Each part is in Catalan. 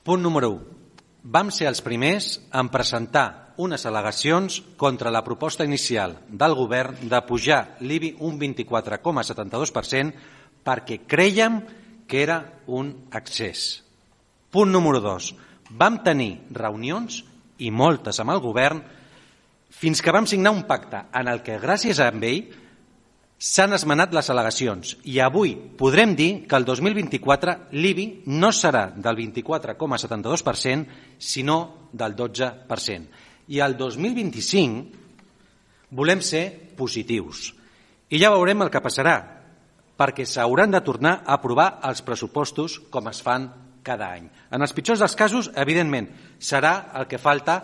Punt número 1. Vam ser els primers en presentar unes al·legacions contra la proposta inicial del govern de pujar l'IBI un 24,72% perquè crèiem que era un excés. Punt número 2. Vam tenir reunions, i moltes amb el govern, fins que vam signar un pacte en el que, gràcies a ell, s'han esmenat les al·legacions i avui podrem dir que el 2024 l'IBI no serà del 24,72%, sinó del 12%. I el 2025 volem ser positius. I ja veurem el que passarà, perquè s'hauran de tornar a aprovar els pressupostos com es fan cada any. En els pitjors dels casos, evidentment, serà el que falta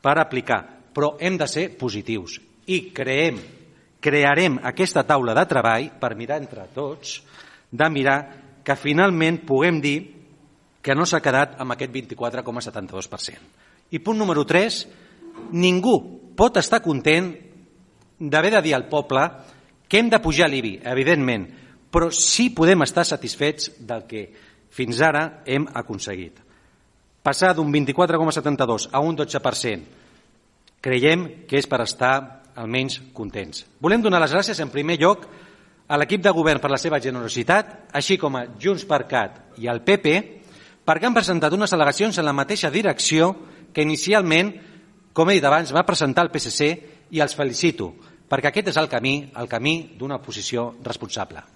per aplicar, però hem de ser positius i crearem aquesta taula de treball per mirar entre tots, de mirar que finalment puguem dir que no s'ha quedat amb aquest 24,72%. I punt número 3, ningú pot estar content d'haver de dir al poble que hem de pujar l'IBI, evidentment, però sí podem estar satisfets del que fins ara hem aconseguit. Passar d'un 24,72 a un 12%, creiem que és per estar almenys contents. Volem donar les gràcies en primer lloc a l'equip de govern per la seva generositat, així com a Junts per Cat i al PP, perquè han presentat unes al·legacions en la mateixa direcció que inicialment, com he dit abans, va presentar el PSC, i els felicito, perquè aquest és el camí d'una oposició responsable.